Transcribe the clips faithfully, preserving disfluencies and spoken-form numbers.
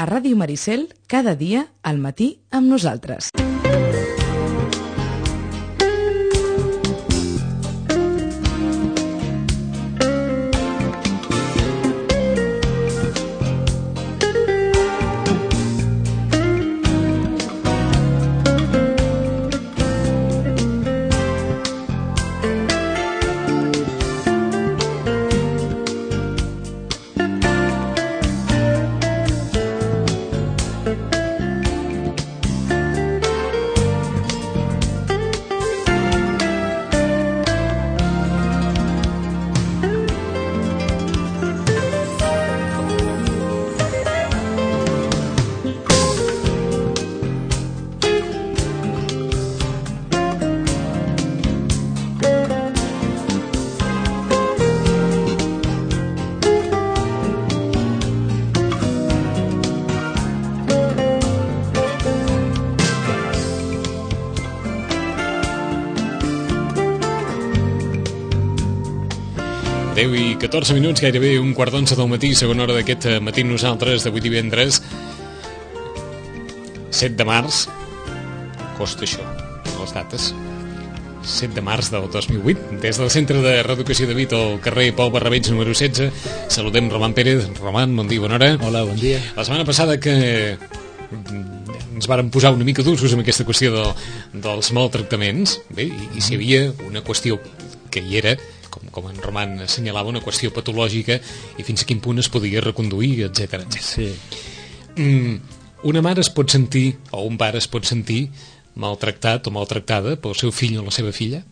a Ràdio Maricel, cada dia al matí amb nosaltres. deu i catorze minuts, gairebé un quart d'onze del matí, segona hora d'aquest matí nosaltres d'avui divendres set de març. Costa això, les dates. set de març del dos mil vuit. Des del Centre de Reeducació de Vic al carrer Pau Barrabeig número setze saludem Roman Pérez. Roman, bon dia, bona hora. Hola, bon dia. La setmana passada que ens vàrem posar una mica durs amb aquesta qüestió de, dels maltractaments, bé, i, i si hi havia una qüestió que hi era, com, com en Roman assenyalava, una qüestió patològica i fins a quin punt es podia reconduir, etcètera, etcètera. Sí. Mm, una mare es pot sentir, o un pare es pot sentir maltractat o maltractada pel seu fill o la seva filla?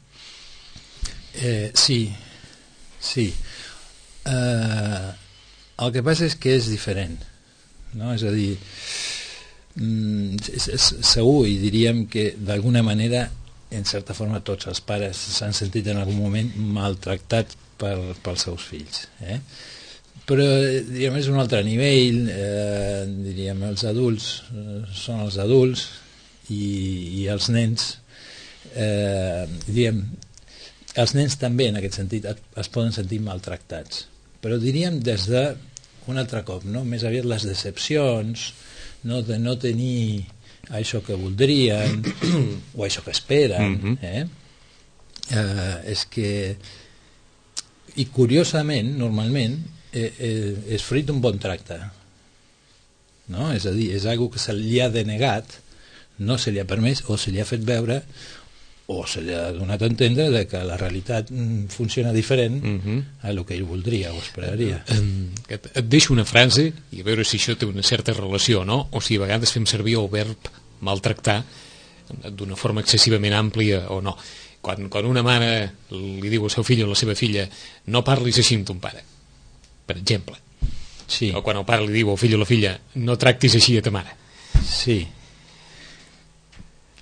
Eh, sí, sí. Eh, el que passa és que és diferent, no? És a dir, mm, és, és segur, i diríem que d'alguna manera, en certa forma, tots els pares s'han sentit en algun moment maltractats per, pels seus fills, eh? Però diríem, és un altre nivell, eh, diríem, els adults eh, són els adults i, i els nens eh, diríem, els nens també en aquest sentit es, es poden sentir maltractats, però diríem des de un altre cop, no? Més aviat les decepcions, no, de no tenir això que voldrien o això que esperen, eh? Eh, és que, i curiosament, normalment eh, eh, és fruit d'un bon tracte, no? És a dir, és algo que se li ha denegat, no se li ha permès o se li ha fet veure o se li ha donat a entendre de que la realitat funciona diferent uh-huh. a lo que ell voldria o esperaria. Et, et deixo una frase i a veure si això té una certa relació, no? O si a vegades fem servir el verb maltractar d'una forma excessivament àmplia o no. Quan, quan una mare li diu al seu fill o a la seva filla no parlis així amb ton pare, per exemple. Sí. O quan el pare li diu al fill o a la filla no tractis així a ta mare. Sí.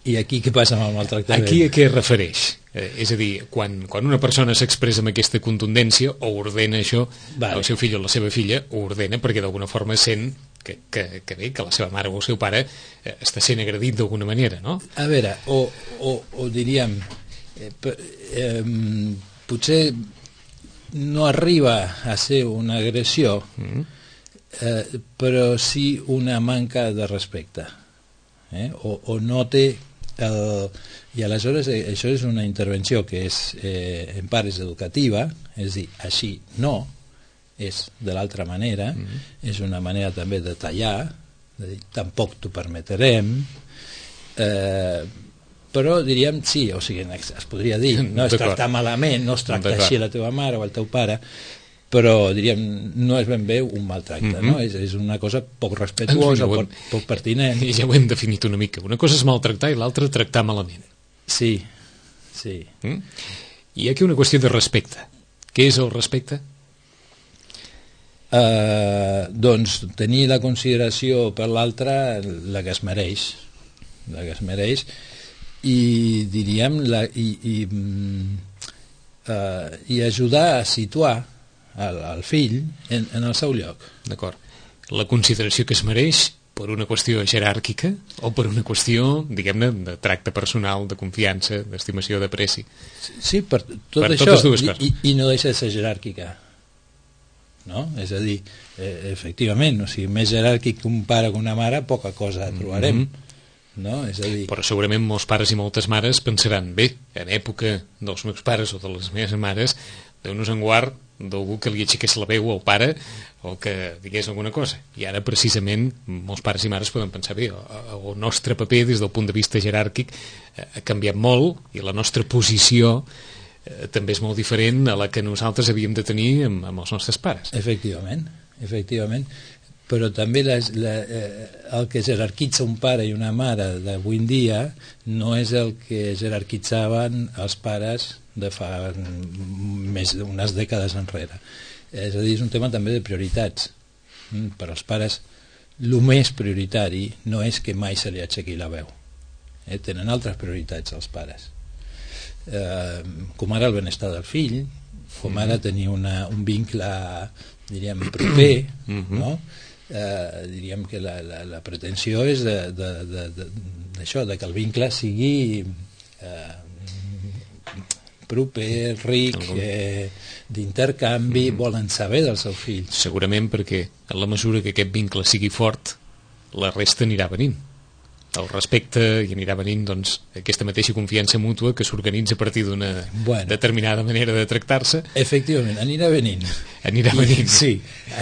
I aquí què passa amb el maltractament? Aquí a què es refereix? Eh, és a dir, quan, quan una persona s'expressa amb aquesta contundència o ordena això, vale. El seu fill o la seva filla ho ordena perquè d'alguna forma sent que, que, que bé, que la seva mare o el seu pare eh, està sent agredit d'alguna manera, no? A veure, o, o, o diríem eh, eh, potser no arriba a ser una agressió, mm. eh, però sí una manca de respecte, eh? o, o no té el, i aleshores eh, això és una intervenció que és eh, en part és educativa, és dir, així no, és de l'altra manera, mm-hmm. és una manera també de tallar, de dir, tampoc t'ho permetrem, eh, però diríem sí, o sigui, es podria dir, no es tractar malament, no es tracta així a la teva mare o al teu pare, però diríem, no és ben bé un maltracte, mm-hmm. no? És, és una cosa poc respetuosa, poc, poc pertinent. I ja ho hem definit una mica. Una cosa és maltractar i l'altra tractar malament. Sí, sí. Mm? I aquí una qüestió de respecte. Què és el respecte? Uh, doncs tenir la consideració per l'altre la que es mereix, la que es mereix, i diríem, la, i, i, uh, i ajudar a situar el, el fill en, en el seu lloc. D'acord. La consideració que es mereix per una qüestió jeràrquica o per una qüestió, diguem-ne, de tracte personal, de confiança, d'estimació, d'apreci? Sí, per tot per això, totes dues coses. I, i no deixa de ser jeràrquica. no? És a dir, eh, efectivament, o sigui, més jeràrquic que un pare que una mare, poca cosa trobarem. Mm-hmm. No? És a dir... Però segurament molts pares i moltes mares pensaran, bé, en època dels meus pares o de les meves mares, Déu-nos en guard d'algú que li aixequés la veu al pare o que digués alguna cosa. I ara, precisament, molts pares i mares poden pensar, bé, el nostre paper des del punt de vista jeràrquic ha canviat molt i la nostra posició eh, també és molt diferent a la que nosaltres havíem de tenir amb, amb els nostres pares. Efectivament, efectivament. Però també les, la, eh, el que jerarquitza un pare i una mare d'avui en dia no és el que jerarquitzaven els pares de fa més d'unes dècades enrere. És a dir, és un tema també de prioritats. Per als pares, el més prioritari no és que mai se li aixequi la veu. Eh? Tenen altres prioritats els pares. Eh, com ara el benestar del fill, com ara tenir una, un vincle, diríem, proper, no? Eh, diríem que la, la, la pretensió és de, de, de, de, d'això, de que el vincle sigui eh, proper, ric, eh, d'intercanvi, mm-hmm. volen saber dels seus fills. Segurament perquè en la mesura que aquest vincle sigui fort, la resta anirà venint. El respecte i anirà venint doncs, aquesta mateixa confiança mútua que s'organitza a partir d'una bueno, determinada manera de tractar-se. Efectivament, anirà venint. Anirà venint. I, sí,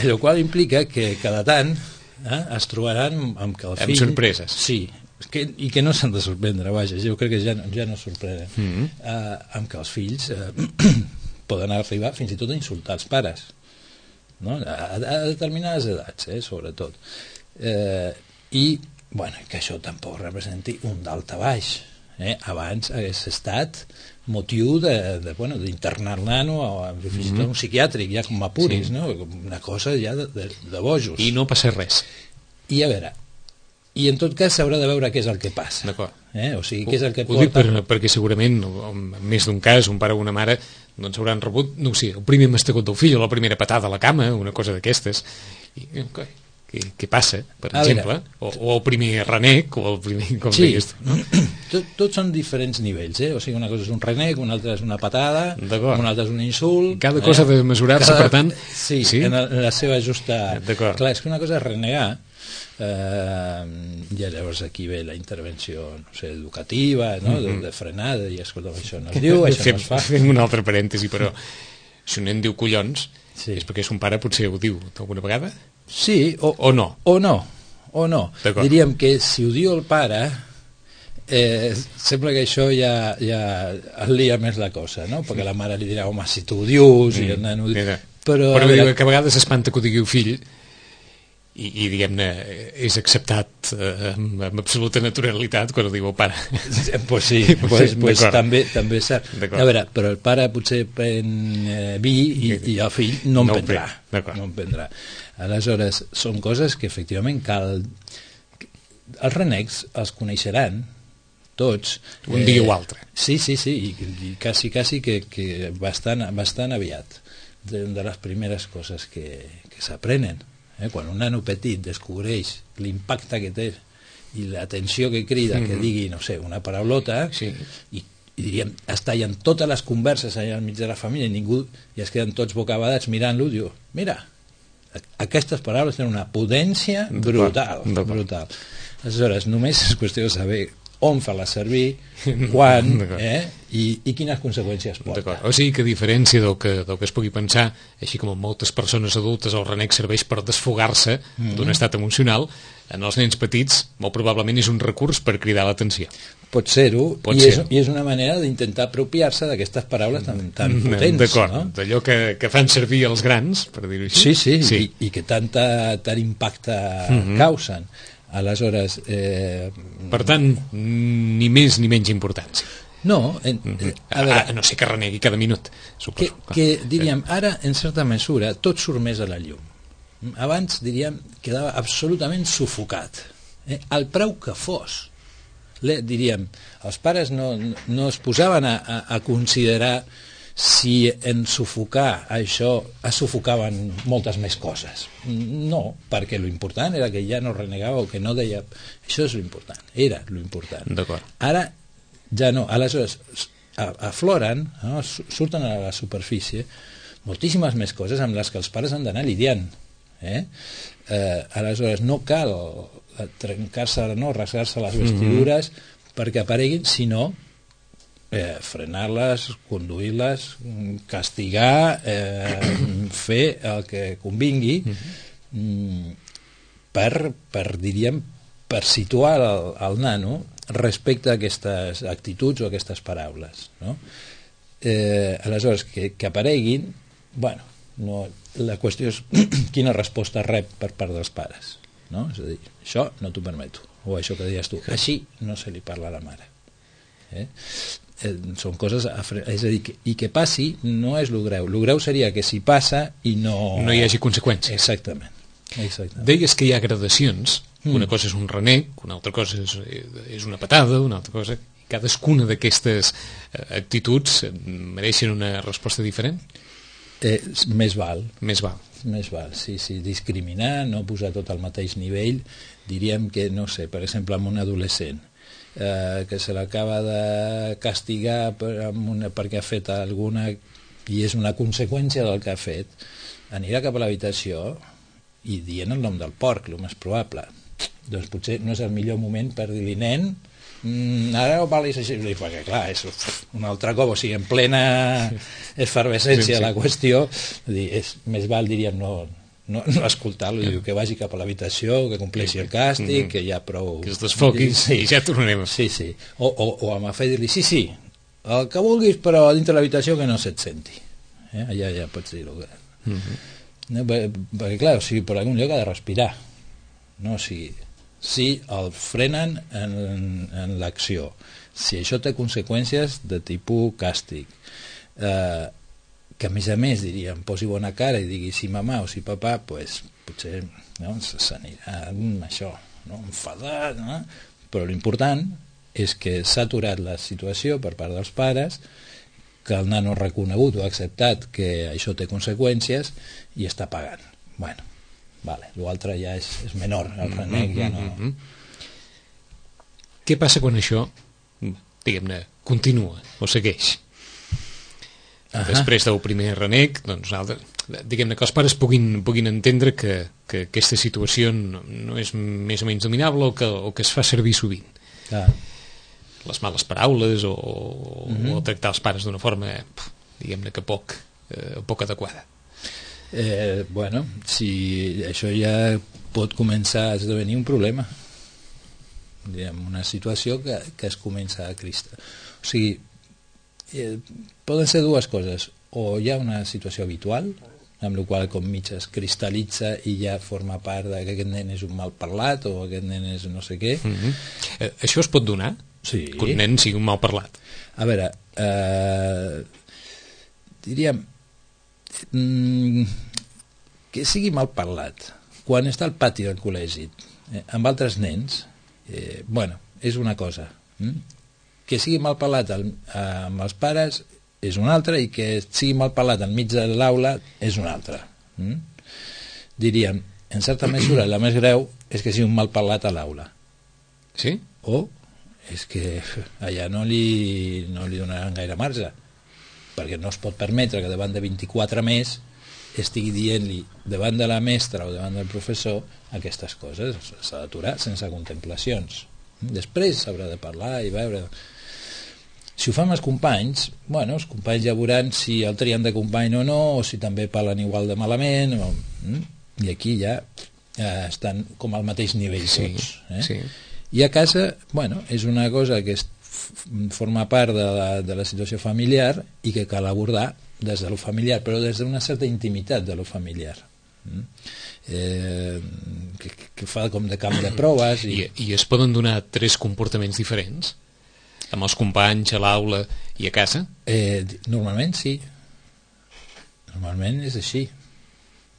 el qual implica que cada tant eh, es trobaran amb que el fill... Amb sorpreses. Sí, que, i que no s'han de sorprendre, vaja, jo crec que ja, ja no sorprenen. Mm-hmm. eh, amb que els fills eh, poden arribar fins i tot a insultar els pares, no? a, a determinades edats, eh, sobretot. Eh, I bueno, que això tampoc representi un dalt a baix. Eh? Abans hagués estat motiu de, de, bueno, d'internar el nano o fins i tot un psiquiàtric, ja com apuris, sí. No? Una cosa ja de, de, de bojos. I no passa res. I a veure, i en tot cas s'haurà de veure què és el que passa. D'acord. Eh? O sigui, què és el que ho, porta... ho dic per, perquè segurament, en més d'un cas, un pare o una mare doncs hauran rebut, no sé, el primer mastegot del fill o la primera patada a la cama, una cosa d'aquestes. I, okay. Què, què passa, per a exemple, o, o el primer renec, o el primer... Com sí, deies tu, no? tot, tots són diferents nivells, eh? O sigui, una cosa és un renec, una altra és una patada, una altra és un insult... Cada cosa ha de mesurar-se, Cada... per tant... Sí, sí? En, la, en la seva justa... D'acord. Clar, és que una cosa és renegar, eh, i llavors aquí ve la intervenció, no sé, educativa, no? Mm-hmm. de, de frenada, i escolta, això no es diu, això fem, no es fa... Fem un altre parèntesi, però si un nen diu collons, sí. És perquè son pare potser ho diu alguna vegada? Sí, o, o no. O no, o no. Diríem que si ho diu el pare, eh, sembla que això ja, ja es lia més la cosa, no? Perquè la mare li dirà, home, si tu ho dius, mm. i el nen ho diu... Però, però diu que a vegades espanta que ho digui el fill, i, i diguem-ne, és acceptat eh, amb, amb absoluta naturalitat quan ho diu el pare. Pues sí, pues, pues també, també és cert. A veure, però el pare potser pren eh, vi i, i el fill no en no prendrà. No en prendrà. Aleshores, són coses que efectivament cal... Els renecs els coneixeran tots. Un eh, dia o altre. Sí, sí, sí, i, i quasi, quasi que, que bastant, bastant aviat. De, de les primeres coses que, que s'aprenen. Eh? Quan un nano petit descobreix l'impacte que té i l'atenció que crida, mm-hmm. que digui, no sé, una paraulota, sí. i, i diríem, es tallen totes les converses allà al mig de la família i ningú, i es queden tots bocabadats mirant-lo, diu, mira, aquestes paraules tenen una potència brutal, brutal. Aleshores, només és qüestió de saber on fer-la servir, quan, eh? I, i quines conseqüències porta. O sigui que a diferència del que, del que es pugui pensar, així com en moltes persones adultes el renec serveix per desfogar-se mm-hmm. d'un estat emocional, en els nens petits molt probablement és un recurs per cridar l'atenció. Pot ser-ho, Pot i, ser és, i és una manera d'intentar apropiar-se d'aquestes paraules tan, tan potents. D'acord, no? D'allò que, que fan servir els grans, per dir-ho així. Sí, sí, sí. I, i que tanta, tant impacte mm-hmm. causen. Aleshores... Eh... Per tant, ni més ni menys importància. No, en, eh, a, veure, a no sé que renegui cada minut, suposo. Que, que diríem, ara, en certa mesura, tot surt més a la llum. Abans, diríem, quedava absolutament sufocat. Eh? Al preu que fos. Le, diríem, els pares no, no es posaven a, a, a considerar si en sufocar això es sufocaven moltes més coses. No, perquè l'important era que ja no renegava o que no deia... Això és l'important, era l'important. D'acord. Ara ja no, aleshores afloren, no? Surten a la superfície moltíssimes més coses amb les que els pares han d'anar lidiant. Eh? Eh, aleshores, no cal trencar-se, no, rasgar-se les vestidures mm-hmm. perquè apareguin, sinó eh, frenar-les, conduir-les, castigar, eh, fer el que convingui mm-hmm. per, per, diríem, per situar el, el nano respecte a aquestes actituds o a aquestes paraules, no? Eh, aleshores, que, que apareguin, bueno, no, la qüestió és quina resposta rep per part dels pares, no? És a dir, això no t'ho permeto, o això que deies tu, així no se li parla a la mare. Eh? Eh, són coses a fre... és a dir, que, i que passi no és lo greu, lo greu seria que si passa i no... no hi hagi conseqüències. Exactament. Exactament. Deies que hi ha gradacions, mm. una cosa és un renec, una altra cosa és, és una patada, una altra cosa... Cadascuna d'aquestes actituds mereixen una resposta diferent? Eh, més val. Més val. Més val, sí, sí. Discriminar, no posar tot al mateix nivell. Diríem que, no sé, per exemple, amb un adolescent eh, que se l'acaba de castigar per, amb una, perquè ha fet alguna i és una conseqüència del que ha fet, anirà cap a l'habitació i dient el nom del porc, el més probable. Doncs potser no és el millor moment per dir-li, nen, Mm, ara no parlis així, perquè clar, és un altre cop, o sigui, en plena efervescència sí, sí. la qüestió, dir, és més val, diríem, no, no, no escoltar-lo, sí. que vagi cap a l'habitació, que compleixi el càstig, mm-hmm. que ja prou... Que es desfoqui sí. i ja tornarem. Sí, sí, o, o, o amb a fer dir-li, sí, sí, el que vulguis, però dintre l'habitació que no se't senti. Eh? Allà ja pots dir-ho. Mm-hmm. No, perquè, perquè, clar, o sigui, per algun lloc ha de respirar, no? O sigui... si el frenen en, en l'acció, si això té conseqüències de tipus càstig, eh, que a més a més diríem, posi bona cara i digui si mamà o si papà, pues, potser no, s'anirà amb això, no? Enfadat, no? Però l'important és que s'ha aturat la situació per part dels pares, que el nano ha reconegut o ha acceptat que això té conseqüències i està pagant. Bueno, vale, l'altre ja és, és menor, el renec ja no... Què passa quan això, diguem-ne, continua o segueix? Uh-huh. Després del primer renec, doncs, diguem-ne que els pares puguin, puguin entendre que, que aquesta situació no, no és més o menys dominable o que, o que es fa servir sovint. Uh. Les males paraules o, uh-huh. o tractar els pares d'una forma, diguem-ne que poc, eh, poc adequada. Eh, bueno, si això ja pot començar a esdevenir un problema, diguem, una situació que, que es comença a cristar. O sigui, eh, poden ser dues coses, o hi ha una situació habitual, amb la qual com mig es cristal·litza i ja forma part de que aquest nen és un mal parlat o aquest nen és no sé què. Mm-hmm. Eh, això es pot donar? Sí. Que un nen sigui un mal parlat? A veure, eh, diríem que sigui mal parlat quan està al pati del col·legi eh, amb altres nens, eh, bueno, és una cosa, hm? Que sigui mal parlat al, amb els pares és una altra, i que sigui mal parlat enmig de l'aula és una altra. hm? Diríem, en certa mesura la més greu és que sigui un mal parlat a l'aula. Sí? O és que allà no li, no li donaran gaire marge, perquè no es pot permetre que davant de vint-i-quatre més estigui dient-li davant de la mestra o davant del professor aquestes coses. S'ha d'aturar sense contemplacions. Després s'haurà de parlar i veure. Si ho fan els companys, bueno, els companys ja veuran si el trien de company o no, o si també parlen igual de malament, o, i aquí ja eh, estan com al mateix nivell tots. Eh? Sí, sí. I a casa, bueno, és una cosa que és forma part de la, de la situació familiar i que cal abordar des de lo familiar, però des d'una certa intimitat de lo familiar, eh, que, que fa com de camp de proves. I... I, I es poden donar tres comportaments diferents? Amb els companys, a l'aula i a casa? Eh, normalment sí. Normalment és així.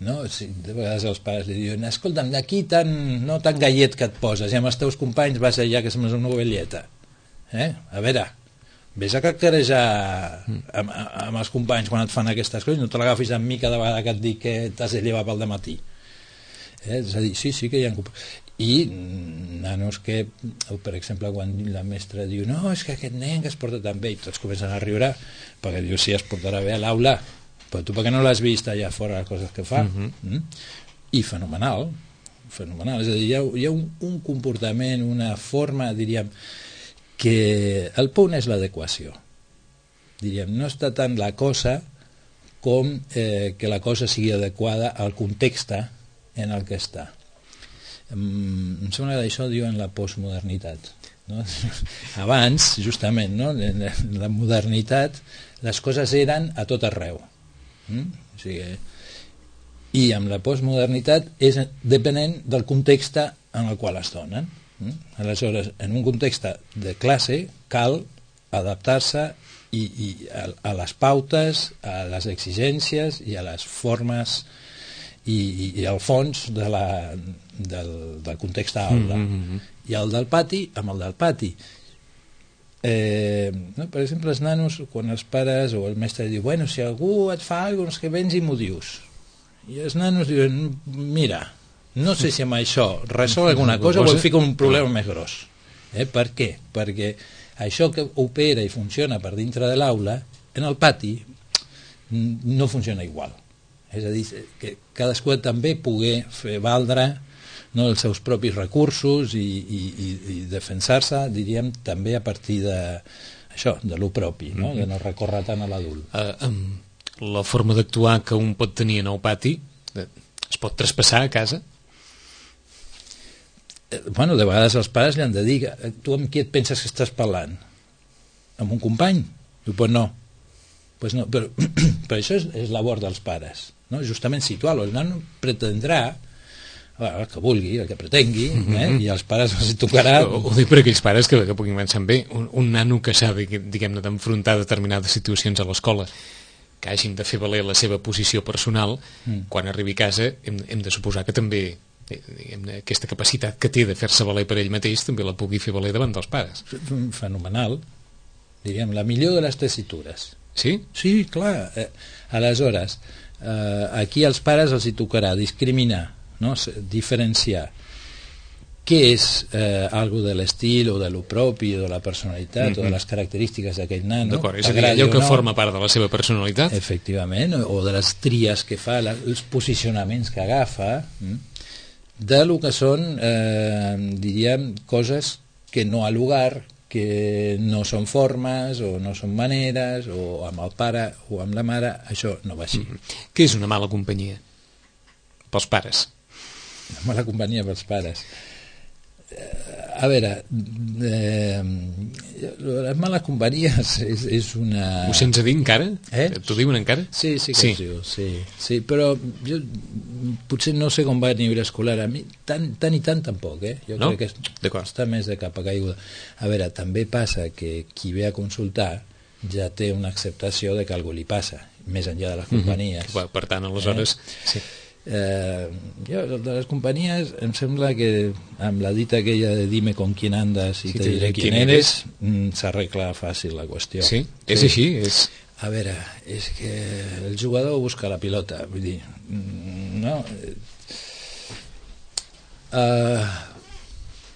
No? Sí, de vegades els pares li diuen, escolta'm, d'aquí tan, no tan gallet que et poses, i amb els teus companys vas allà que sembles una ovelleta. Eh? A veure, vés a cacarejar amb, amb els companys quan et fan aquestes coses, no te l'agafis amb mi cada vegada que et dic que t'has de llevar pel dematí. Eh? És a dir, sí, sí que hi ha... I nanos que, per exemple, quan la mestra diu no, és que aquest nen que es porta tan bé, i tots comencen a riure perquè diu, sí, es portarà bé a l'aula, però tu perquè no l'has vist allà fora les coses que fa? Uh-huh. Mm? I fenomenal, fenomenal. És a dir, hi ha, hi ha un, un comportament, una forma, diríem, que el punt és l'adequació. Diríem, no està tant la cosa com eh, que la cosa sigui adequada al context en el que està. Em sembla que d'això diuen la postmodernitat, no? Abans, justament, no? En la modernitat les coses eren a tot arreu, mm? O sigui, i amb la postmodernitat és depenent del context en el qual es donen. Mm? Aleshores, en un context de classe cal adaptar-se i, i a, a les pautes, a les exigències i a les formes i, i, i al fons de la, del, del context aula. Mm-hmm. I el del pati, amb el del pati. Eh, no? Per exemple, els nanos, quan els pares o el mestre diu, bueno, si algú et fa alguna cosa, que vens i m'ho dius. I els nanos diuen, mira, no sé si amb això resol alguna cosa o em fica un problema més gros. Eh? Per què? Perquè això que opera i funciona per dintre de l'aula, en el pati no funciona igual. És a dir, que cadascú també pugui fer valdre, no, els seus propis recursos i, i, i defensar-se, diríem, també a partir de això, de lo propi, no? De no recórrer tant a l'adult. Uh, um, la forma d'actuar que un pot tenir en el pati es pot traspassar a casa? Bueno, de vegades els pares li han de dir, tu amb qui et penses que estàs parlant? Amb un company? Diu, pues no. Pues no. Però, però això és, és labor dels pares, no? Justament situar-lo. El nano pretendrà el que vulgui, el que pretengui, eh? I els pares els tocarà... Ho, ho dic per aquells pares que, que puguin pensar bé. Un, un nano que s'ha, diguem-ne, d'enfrontar determinades situacions a l'escola, que hagin de fer valer la seva posició personal, mm. quan arribi a casa hem, hem de suposar que també diguem-ne, aquesta capacitat que té de fer-se valer per ell mateix també la pugui fer valer davant dels pares. Fenomenal. Diríem, la millor de les tessitures. Sí? Sí, clar. Eh, aleshores, eh, aquí als pares els hi tocarà discriminar, no? Diferenciar què és eh, algo de l'estil o de lo propi o de la personalitat mm-hmm. o de les característiques d'aquell nano. D'acord, és a dir, allò que no, forma part de la seva personalitat. Efectivament, o de les tries que fa, la, els posicionaments que agafa, mm? De lo que són, eh, diríem, coses que no ha lugar, que no són formes o no són maneres, o amb el pare o amb la mare, això no va així. Mm-hmm. Què és una mala companyia pels pares? Una mala companyia pels pares. A veure, eh, les males companyies és, és una... Ho sents a dir encara? Eh? T'ho diuen encara? Sí, sí que sí. Diu, sí, sí, però jo potser no sé com va a nivell escolar, a mi tant, tant i tant tampoc, eh? Jo no? crec que està més de capa caiguda. A veure, també passa que qui ve a consultar ja té una acceptació de que algú li passa, més enllà de les companyies. Mm-hmm. Per tant, aleshores... Eh? Sí. Eh, jo, de les companyies em sembla que amb la dita aquella de dime con quién andas i sí, te diré quién eres, eres s'arregla fàcil la qüestió. Sí, és sí. Així és... A veure, és que el jugador busca la pilota, vull dir, no? Uh,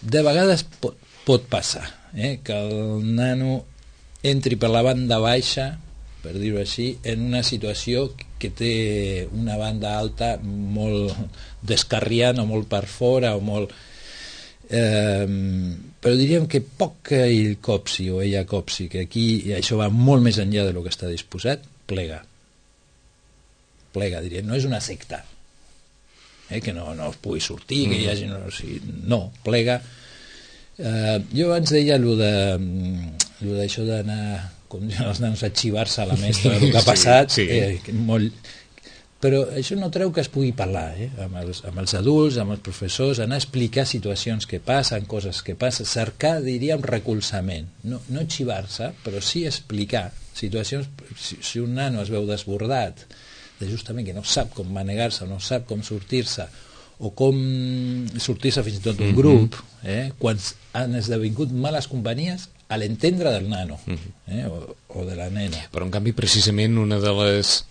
de vegades pot, pot passar eh, que el nano entri per la banda baixa, per dir-ho així, en una situació que té una banda alta molt descarriant o molt per fora o molt... Eh, però diríem que poc que ell copsi o ella copsi, que aquí i això va molt més enllà de lo que està disposat, plega. Plega, diríem, no és una secta, eh, que no, no es pugui sortir, que hi hagi... No, o sigui, no plega. Eh, jo abans deia allò de, allò d'això d'anar... com diuen els nanos, a xivar-se a la mestra del que ha passat, sí, sí. Eh, molt... però això no treu que es pugui parlar eh? amb, els, amb els adults, amb els professors, anar a explicar situacions que passen, coses que passen, cercar, diríem, recolzament, no, no xivar-se, però sí explicar situacions. Si, si un nano es veu desbordat, de justament que no sap com manegar-se, no sap com sortir-se, o com sortir-se fins i tot d'un grup, eh? Quan han esdevingut males companyies a l'entendre del nano eh? o, o de la nena. Però en canvi precisament una de les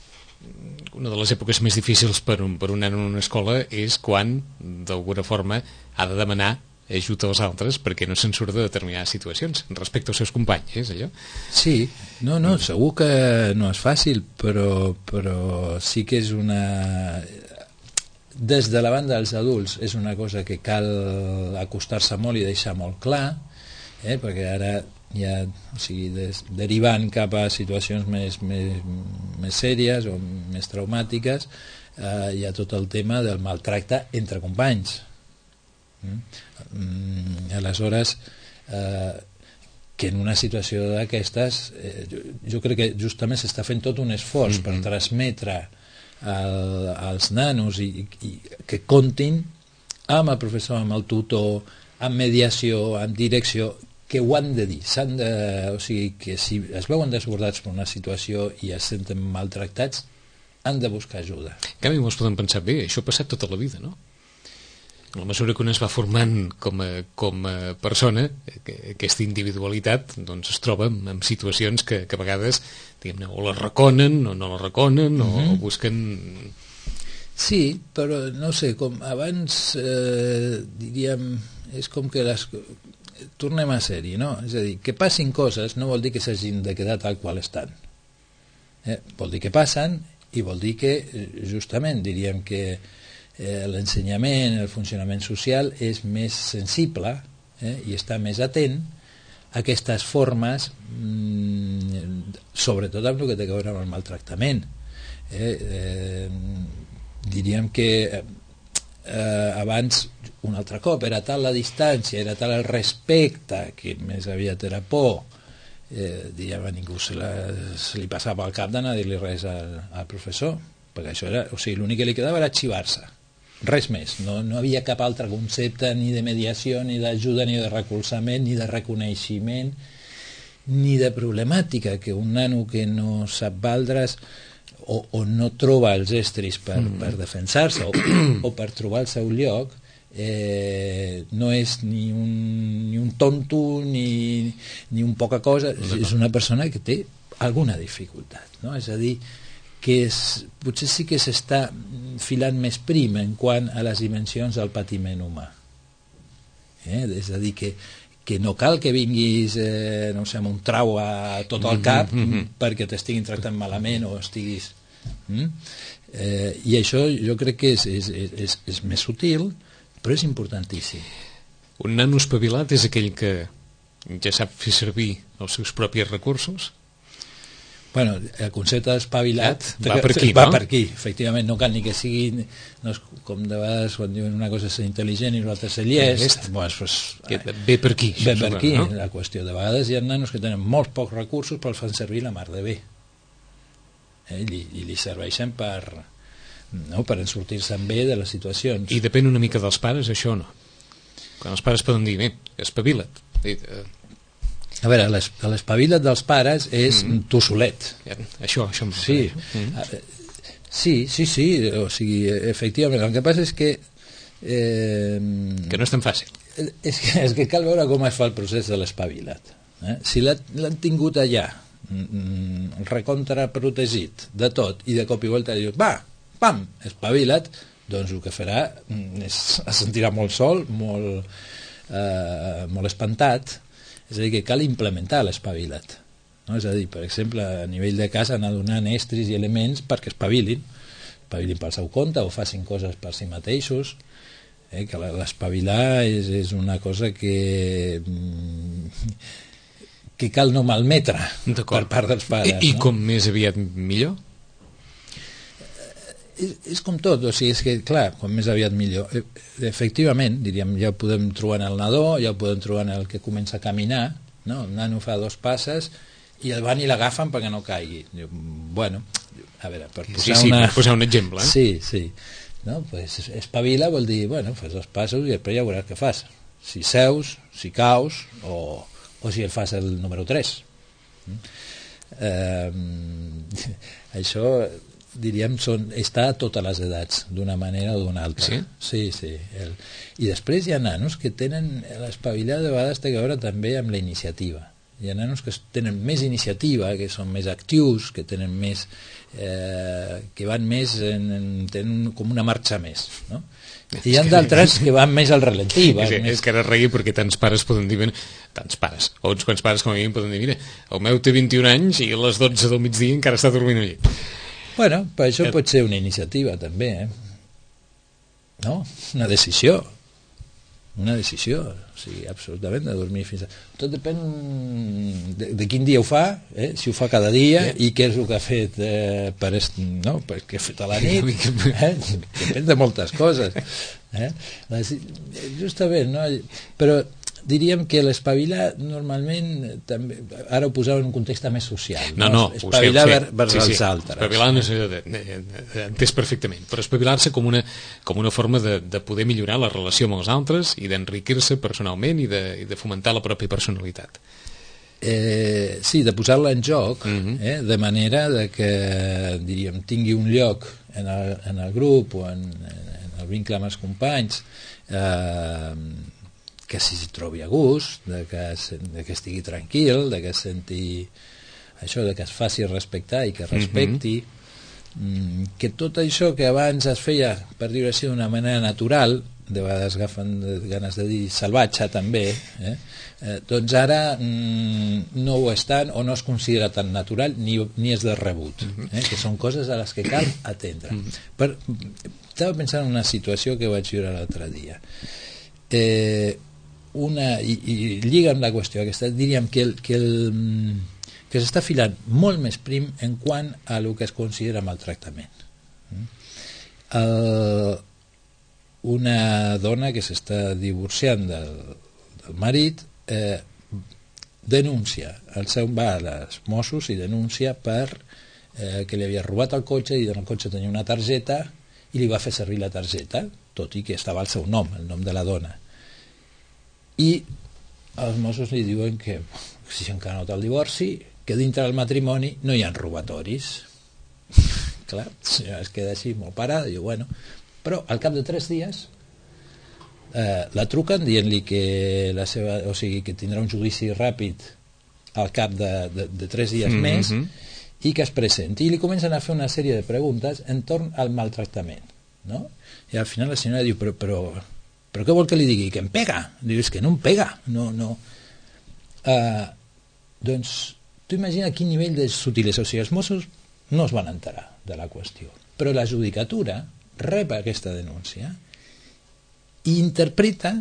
una de les èpoques més difícils per un, per un nano en una escola és quan d'alguna forma ha de demanar ajuda als altres perquè no se'n surt de determinades situacions respecte als seus companys, és allò? Sí, no, no, segur que no és fàcil, però, però sí que és una... Des de la banda dels adults és una cosa que cal acostar-se molt i deixar molt clar, eh? Perquè ara ja, o sigui, des, derivant cap a situacions més, més, més sèries o més traumàtiques, eh, hi ha tot el tema del maltracte entre companys. Mm? Mm, aleshores eh, que en una situació d'aquestes eh, jo, jo crec que justament s'està fent tot un esforç mm-hmm. per transmetre al, als nanos i, i que comptin amb el professor, amb el tutor, amb mediació, amb direcció, que ho han de dir, s'han de, o sigui, que si es veuen desbordats per una situació i es senten maltractats, han de buscar ajuda. En canvi, molts poden pensar, bé, això ha passat tota la vida, no? A la mesura que un es va formant com a, com a persona, aquesta individualitat doncs es troba en, en situacions que, que a vegades diguem-ne, o la reconen o no la reconen, mm-hmm. o, o busquen... Sí, però no sé, com abans eh, diríem, és com que les... tornem a ser-hi, no? És a dir, que passin coses no vol dir que s'hagin de quedar tal qual estan. Eh? Vol dir que passen i vol dir que, justament, diríem que eh, l'ensenyament, el funcionament social és més sensible eh, i està més atent a aquestes formes, mmm, sobretot amb el que té a veure amb el maltractament. Eh, eh, diríem que eh, abans, un altre cop, era tal la distància, era tal el respecte, que més aviat era por, eh, diríem, a ningú se, la, se li passava al cap d'anar a dir-li res al, al professor, perquè això era, o sigui, l'únic que li quedava era arxivar-se, res més, no, no havia cap altre concepte ni de mediació, ni d'ajuda, ni de recolzament, ni de reconeixement, ni de problemàtica, que un nano que no sap valdre's o, o no troba els estris per, mm. per defensar-se o, o per trobar el seu lloc, eh, no és ni un, ni un tonto ni, ni un poca cosa, és una persona que té alguna dificultat, no? És a dir, que és, potser sí que s'està filant més prim en quant a les dimensions del patiment humà, eh? És a dir, que que no cal que vinguis eh, no sé, amb un trau a tot el cap mm-hmm. perquè t'estiguin tractant malament o estiguis... Mm? Eh, i això jo crec que és, és, és, és més sutil, però és importantíssim. Un nano espavilat és aquell que ja sap fer servir els seus propis recursos? Bueno, el concepte d'espavilat va per aquí, va no? per aquí, efectivament, no cal ni que sigui, no és com de vegades quan diuen una cosa és ser intel·ligent i l'altra ser llest, doncs, pues, ve per aquí, ve per aquí, no? La qüestió de vegades hi ha nanos que tenen molts pocs recursos però els fan servir la mar de bé, eh? I, i li serveixen per, no? Per sortir-se'n bé de les situacions. I depèn una mica dels pares, això no? Quan els pares poden dir, bé, espavila't, eh, a veure, l'espavila't dels pares és mm. tu solet. Ja, això, això em sí. Mm. sí, sí, sí, o sigui, efectivament, el que passa és que eh, que no és tan fàcil. És que, és que cal veure com es fa el procés de l'espavilat. Eh? Si l'han tingut allà mm, recontra protegit de tot i de cop i volta dius, va, pam, espavila't, doncs el que farà és, es sentirà molt sol, molt, eh, molt espantat. És a dir, que cal implementar l'espavilat, no? És a dir, per exemple, a nivell de casa anar donant estris i elements perquè espavilin, espavilin pel seu compte o facin coses per si mateixos, eh? Que l'espavilar és, és una cosa que que cal no malmetre per part dels pares. I, i no? Com més aviat millor? És, és com tot, o sigui, és que, clar, com més aviat millor. Efectivament, diríem, ja ho podem trobar en el nadó, ja ho podem trobar en el que comença a caminar, no? El nano fa dos passes i el van i l'agafen perquè no caigui. Diu, bueno, a veure, per posar, sí, sí, una... per posar un exemple. Eh? Sí, sí. No? Pues espavila vol dir, bueno, fas dos passos i després ja veuràs què fas. Si seus, si caus, o, o si el fas el número tres. Eh, això... diríem, són, està a totes les edats, d'una manera o d'una altra. Sí? Sí, sí. El... I després hi ha nanos que tenen l'espavilar, de vegades té a veure també amb la iniciativa. Hi ha nanos que tenen més iniciativa, que són més actius, que tenen més eh, que van més en, en, tenen com una marxa més, no? I hi ha d'altres que van més al ralentí. És, més... és que ara reia perquè tants pares poden dir, tants pares, o uns quants pares com a mi poden dir, mira, el meu té vint-i-un anys i a les dotze del migdia encara està dormint al llit. Bueno, per això pot ser una iniciativa també, eh? No? Una decisió. Una decisió, o sigui, absolutament, de dormir fins a... Tot depèn de, de quin dia ho fa, eh? Si ho fa cada dia, yeah. I què és el que ha fet eh, per, est... no? per què ha fet a la nit, eh? Depèn de moltes coses. Eh? Justament, no? Però diríem que l'espavilar normalment també, ara ho posava en un context més social, no, no, espavilar sé, vers, vers sí, els sí. altres, espavilar no sé, entès perfectament, però espavilar-se com una, com una forma de, de poder millorar la relació amb els altres i d'enriquir-se personalment i de, i de fomentar la pròpia personalitat. Eh, sí, de posar-la en joc, uh-huh. eh, de manera de que diríem, tingui un lloc en el, en el grup o en, en el vincle amb els companys, eh, que s'hi trobi a gust, de que, de que estigui tranquil, de que senti això, de que es faci respectar i que respecti, mm-hmm. que tot això que abans es feia, per dir-ho així, d'una manera natural, de vegades agafen ganes de dir salvatge també, eh? Eh, doncs ara mm, no ho és tant o no es considera tan natural ni, ni és de rebut, eh? Que són coses a les que cal atendre. Per, estava pensant en una situació que vaig viure l'altre dia. Eh, una, i, i lliga amb la qüestió aquesta, diríem que, el, que, el, que s'està filant molt més prim en quant a el que es considera maltractament. El, una dona que s'està divorciant del, del marit eh, denuncia, el seu va als Mossos i denuncia per eh, que li havia robat el cotxe i en el cotxe tenia una targeta i li va fer servir la targeta, tot i que estava el seu nom, el nom de la dona. I els Mossos li diuen que si encara no té el divorci, que dintre del matrimoni no hi ha robatoris. Clar, ja es queda així molt parada, diu, bueno, però al cap de tres dies eh, la truquen dient-li que la seva, o sigui, que tindrà un judici ràpid al cap de, de, de tres dies mm-hmm. més i que es presenti, i li comencen a fer una sèrie de preguntes entorn al maltractament, no? I al final la senyora diu, però, però però què vol que li digui? Que em pega? Diu, és que no em pega, no, no. Uh, doncs tu imagina quin nivell de sutilesa, o sigui, els Mossos no es van enterar de la qüestió, però la judicatura rep aquesta denúncia i interpreta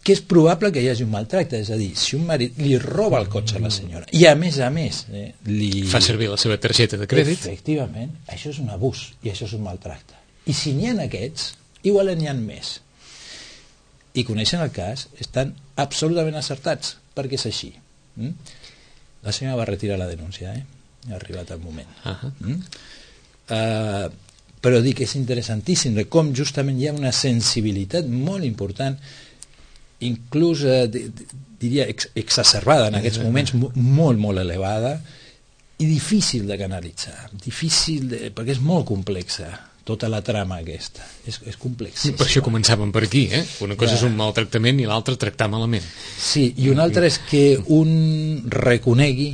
que és probable que hi hagi un maltracte, és a dir, si un marit li roba el cotxe a la senyora i a més a més eh, li... fa servir la seva targeta de crèdit, efectivament, això és un abús i això és un maltracte, i si n'hi ha aquests igual n'hi ha més i coneixen el cas, estan absolutament acertats, perquè és així. Mm? La senyora va retirar la denúncia, eh? Ha arribat el moment. Uh-huh. Mm? Uh, però dic que és interessantíssim de com justament hi ha una sensibilitat molt important, inclús uh, diria ex exacerbada en aquests moments, molt, molt elevada, i difícil de canalitzar, difícil de, perquè és molt complexa. Tota la trama aquesta és, és complexíssima. Per això començàvem per aquí, eh? Una cosa ja. És un maltractament i l'altra tractar malament. Sí, i una altra és que un reconegui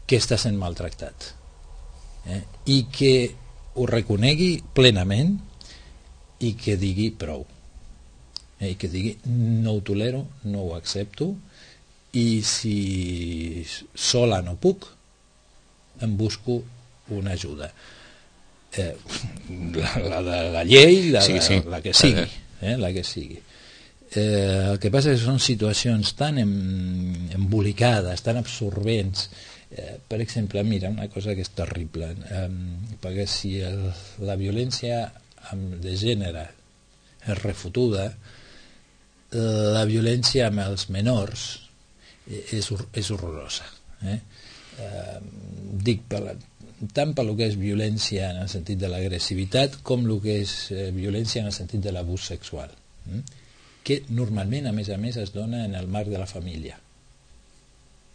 que està sent maltractat, eh? I que ho reconegui plenament i que digui prou, eh? I que digui no ho tolero, no ho accepto, i si sola no puc em busco una ajuda. Eh, la, la de la llei, la, sí, sí. la, la que sigui, eh, la que sigui. Eh, el que passa és que són situacions tan em, embolicades, tan absorbents. Eh, per exemple, mira, una cosa que és terrible, eh, perquè si el, la violència de gènere és refotuda, la violència amb els menors és, és horrorosa. Eh? Eh, dic per la tant per lo que és violència en el sentit de l'agressivitat com el que és eh, violència en el sentit de l'abús sexual, eh? Que normalment a més a més es dona en el marc de la família,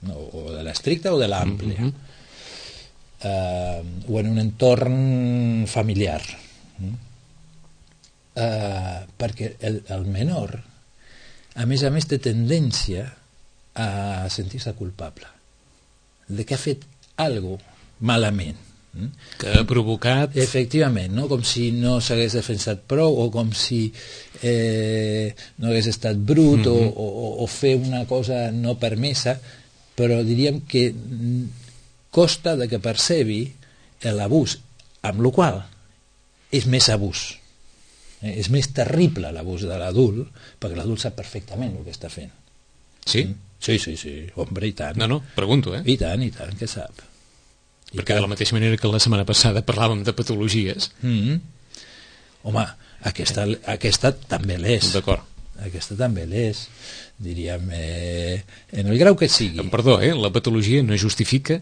no, o de l'estricta o de l'àmplia, mm-hmm. eh, o en un entorn familiar, eh? Eh, perquè el, el menor a més a més té tendència a sentir-se culpable de que ha fet alguna cosa malament, que ha provocat... Efectivament, no? Com si no s'hagués defensat prou o com si eh, no hagués estat brut mm-hmm. o, o, o fer una cosa no permesa, però diríem que costa de que percebi l'abús, amb la qual és més abús. Eh? És més terrible l'abús de l'adult, perquè l'adult sap perfectament el que està fent. Sí? Mm? Sí, sí, sí, hombre, i tant. No, no, pregunto, eh? I tant, i tant, que sap. I perquè tant. de la mateixa manera que la setmana passada parlàvem de patologies... Mm-hmm. Home, aquesta, aquesta també l'és. D'acord. Aquesta també l'és. Diríem, eh, en el grau que sigui. En perdó, eh? La patologia no justifica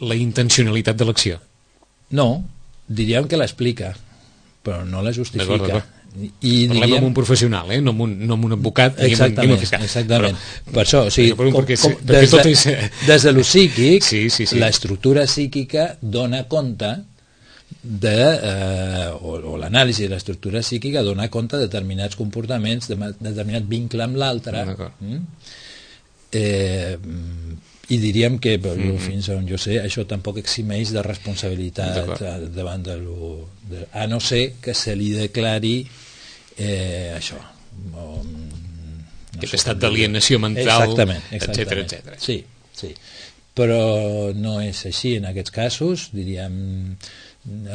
la intencionalitat de l'acció. No, diríem que l'explica, però no la justifica. D'acord, d'acord. I parlem diríem... amb un professional, eh? no, amb un, no amb un advocat exactament, ni amb un fiscal. Exactament. Però, per això, o sigui, com, perquè, com, perquè des, tot de, és... des de lo psíquic, sí, sí, sí. l'estructura psíquica dona compte de, eh, o, o l'anàlisi de l'estructura psíquica dona compte de determinats comportaments, de, de determinat vincle amb l'altre. Mm? Eh, i diríem que mm-hmm. fins on jo sé això tampoc eximeix de responsabilitat davant de lo, de, a no ser que se li declari eh, això o, no aquest sé, estat d'alienació mental, exactament, exactament. etcètera. Sí, sí, però no és així en aquests casos, diríem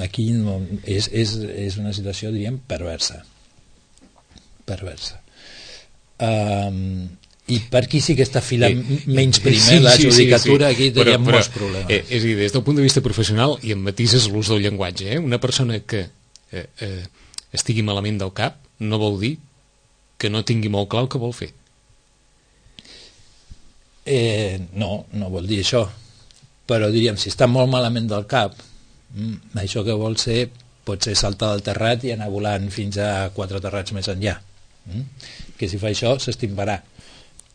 aquí no, és, és, és una situació diríem perversa perversa um, i per aquí sí que està filant eh, menys primer sí, la judicatura, sí, sí, sí. Aquí teníem però, molts problemes. Eh, és a dir, des del punt de vista professional, i em matises l'ús del llenguatge, eh? Una persona que eh, eh, estigui malament del cap no vol dir que no tingui molt clar el que vol fer. Eh, no, no vol dir això. Però diríem, si està molt malament del cap, mm, això que vol ser pot ser saltar del terrat i anar volant fins a quatre terrats més enllà. Mm? Que si fa això s'estimbarà.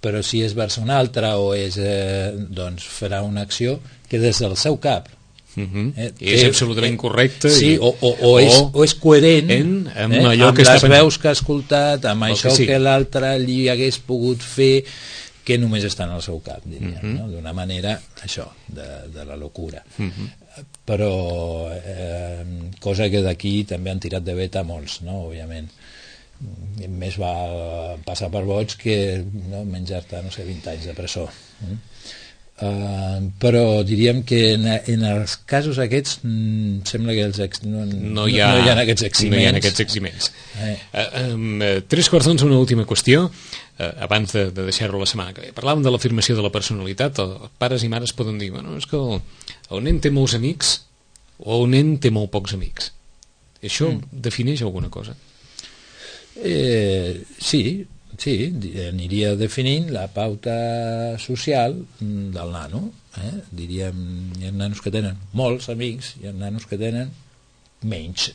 Però si és vers un altre o és, eh, doncs farà una acció que des del seu cap uh-huh. eh, és absolutament eh, correcte sí, i, o, o, o, és, o és coherent en, amb, eh, allò amb que les està veus que ha escoltat, amb el això que, sí. que l'altre li hagués pogut fer, que només està en el seu cap, diríem, uh-huh. no? D'una manera això, de, de la locura. Uh-huh. Però eh, cosa que d'aquí també han tirat de veta molts, no? Òbviament més va passar per vots que no, menjar-te, no sé, vint anys de presó. Mm? Uh, però diríem que en, en els casos aquests mm, sembla que els ex, no, no, hi ha, no hi ha aquests eximents. No hi ha aquests eximents. Eh. Uh, um, tres quarts d'onze, una última qüestió, uh, abans de, de deixar-ho la setmana que ve. Parlàvem de l'afirmació de la personalitat. Els pares i mares poden dir, bueno, és que el, el nen té molts amics o el nen té molt pocs amics. Això mm. defineix alguna cosa? Eh, sí, sí, aniria definint la pauta social del nano. Eh? Diríem, hi ha nanos que tenen molts amics, hi ha nanos que tenen menys.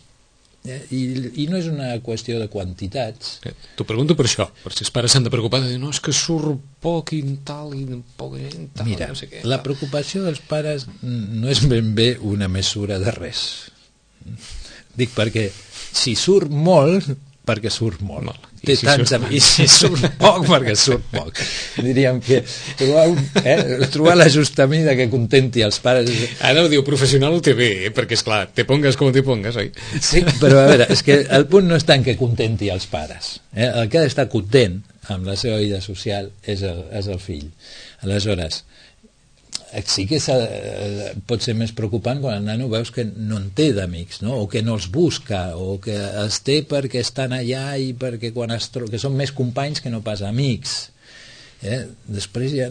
Eh? I, I no és una qüestió de quantitats. Eh, T'ho pregunto per això, per si els pares s'han de preocupar de dir, no, és que surt poc i tal, i poca gent, tal, mira, no sé què. La preocupació dels pares no és ben bé una mesura de res. Dic perquè si surt molt perquè surt molt, molt. Té si tants surt... amics, i si surt poc perquè surt poc. Diríem que trobar, un, eh, trobar l'ajust mida que contenti els pares. Ara ho diu professional ho té bé, eh? Perquè esclar, te pongues com te pongues, oi? Sí, però a veure, és que el punt no és tant que contenti els pares, eh? El que ha d'estar content amb la seva vida social és el, és el fill. Aleshores, sí que pot ser més preocupant quan el nano veus que no en té d'amics, no? O que no els busca, o que els té perquè estan allà i perquè quan es tro... que són més companys que no pas amics. Eh? Després hi ha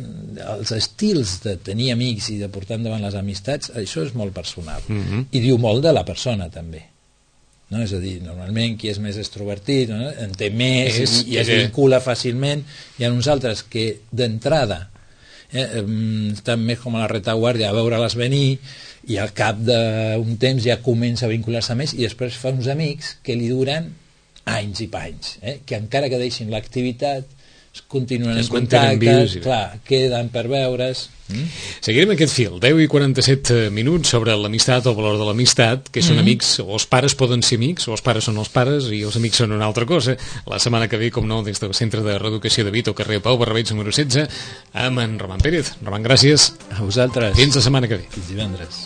els estils de tenir amics i de portar endavant les amistats, això és molt personal. Mm-hmm. I diu molt de la persona també. No? És a dir, normalment qui és més extrovertit, no? En té més és, i, i es vincula fàcilment. Hi ha uns altres que d'entrada Eh, estan més com a la retaguardia a veure-les venir i al cap d'un temps ja comença a vincular-se més i després fa uns amics que li duren anys i panys, eh? Que encara que deixin l'activitat continuen es en contacte, vius i... clar, queden per veure's. Mm? Seguirem aquest fil, deu i quaranta-set minuts sobre l'amistat o el valor de l'amistat, que són mm-hmm. amics, o els pares poden ser amics, o els pares són els pares i els amics són una altra cosa. La setmana que ve, com no, des del Centre de Reeducació de Vito, carrer Pau Barrabeig, número setze, amb en Roman Pérez. Roman, gràcies. A vosaltres. Fins la setmana que ve. Fins divendres.